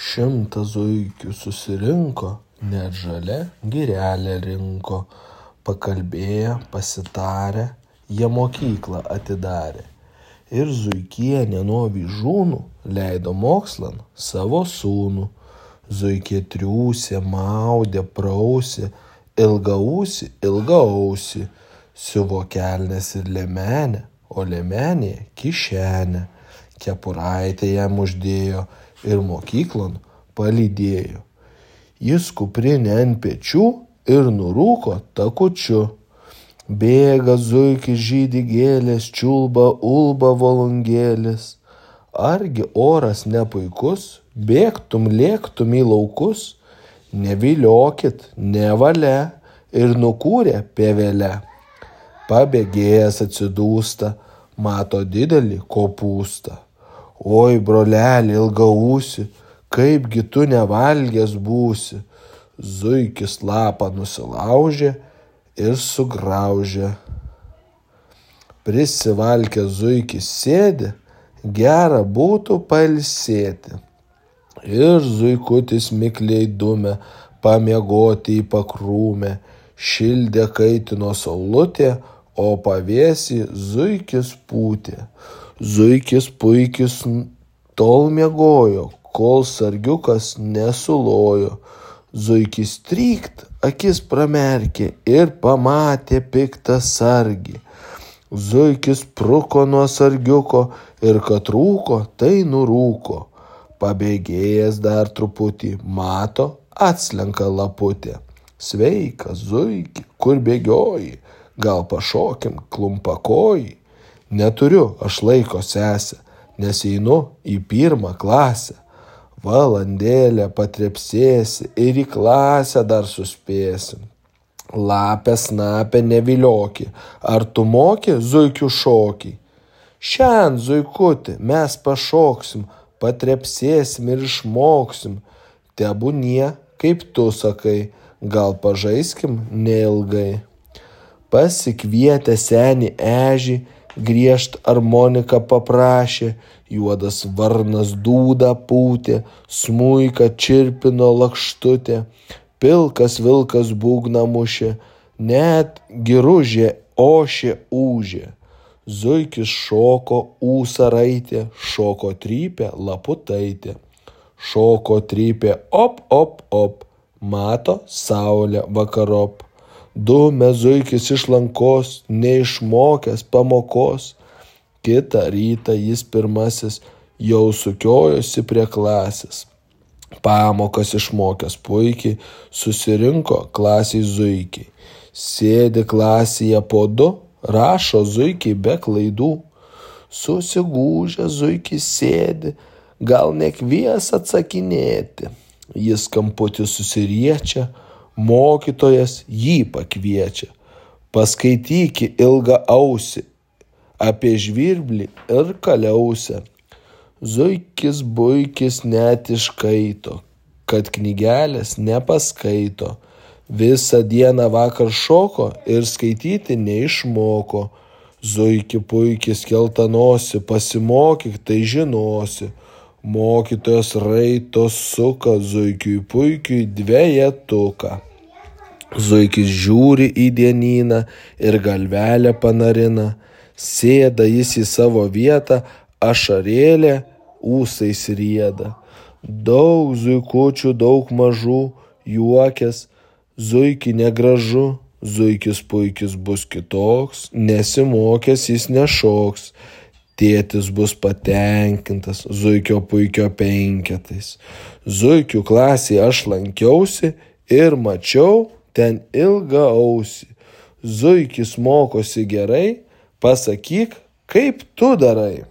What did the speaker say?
100 zuikių susirinko, net žalia girelė rinko. Pakalbėję, pasitarę, jie mokyklą atidarė. Ir zuikienė nuo vyžūnų leido mokslan savo sūnų. Zuikė triūsė, maudė, prausė, ilgaausį, siuvo kelnes ir liemenę, o liemenėje kišenę. Kepuraitę jam uždėjo ir mokyklon palydėjo. Jis kuprinę ant pečių ir nurūko takučiu. Bėga zuikis, žydi gėlės, čiulba, ulba volungėlis. Argi oras nepuikus, bėgtum, lėktum į laukus? Neviliokit, nevalia, ir nukūrė pievelę. Pabėgėjęs atsidūsta, mato didelį kopūstą. Oi, broleli ilgaausį, kaipgi tu nevalgęs būsi. Zuikis lapą nusilaužė ir sugraužė. Prisivalkęs zuikis sėdi, gera būtų pailsėti. Ir zuikutis mikliai dumė, pamiegoti į pakrūmę. Šildė kaitino saulutė, o pavėsį zuikis pūtė. Zuikis puikis tol miegojo, kol sargiukas nesulojo. Zuikis trykt, akis pramerkė ir pamatė piktą sargį. Zuikis pruko nuo sargiuko ir kad rūko, tai nurūko. Pabėgėjęs dar truputį, mato, atslenka laputė. Sveika, zuiki, kur bėgioji, gal pašokim klumpakoji. Neturiu aš laiko, sesę, nes einu į 1 klasę. Valandėlę patrepsėsi ir į klasę dar suspėsim. Lapė snapė nevilioki, ar tu moki zuikių šokį? Šiandien, zuikuti, mes pašoksim, patrepsėsim ir išmoksim. Tebūnie, kaip tu sakai, gal pažaiskim neilgai. Pasikvietę senį ežį, griežt armoniką paprašė, juodas varnas dūdą pūtė, smuiką čirpino lakštutė, pilkas vilkas būgną mušė, net giružė ošė ūžė. Zuikis šoko ūsą raitė, šoko trypė laputaitė. Šoko trypė op, op, op, mato saulė vakarop. Dumė zuikis iš lankos, neišmokęs pamokos. Kitą rytą jis pirmasis jau sukiojosi prie klasės. Pamokas išmokęs puikiai, susirinko klasiai zuikiai. Sėdi klasėje po 2, rašo zuikiai be klaidų. Susigūžę zuikis sėdi, gal nekvies atsakinėti. Jis kamputį susiriečia, mokytojas jį pakviečia. Paskaityki ilgaausį apie žvirblį ir kaliausę. Zuikis buikis net iškaito, kad knygelės nepaskaito. Visą dieną vakar šoko ir skaityti neišmoko. Zuiki puikis keltanosi, pasimokyk, tai žinosi. Mokytojas raito suka, zuikiui puikiui 2. Zuikis žiūri į dienyną ir galvelę panarina. Sėda jis į savo vietą, ašarėlė ūsais rieda. Daug zuikučių, daug mažų, juokės, zuiki negražu. Zuikis puikis bus kitoks, nesimokęs jis nešoks. Tėtis bus patenkintas, zuikio puikio 5. Zuikių klasėje aš lankiausi ir mačiau ten ilgaausį. Zuikis mokosi gerai, pasakyk, kaip tu darai.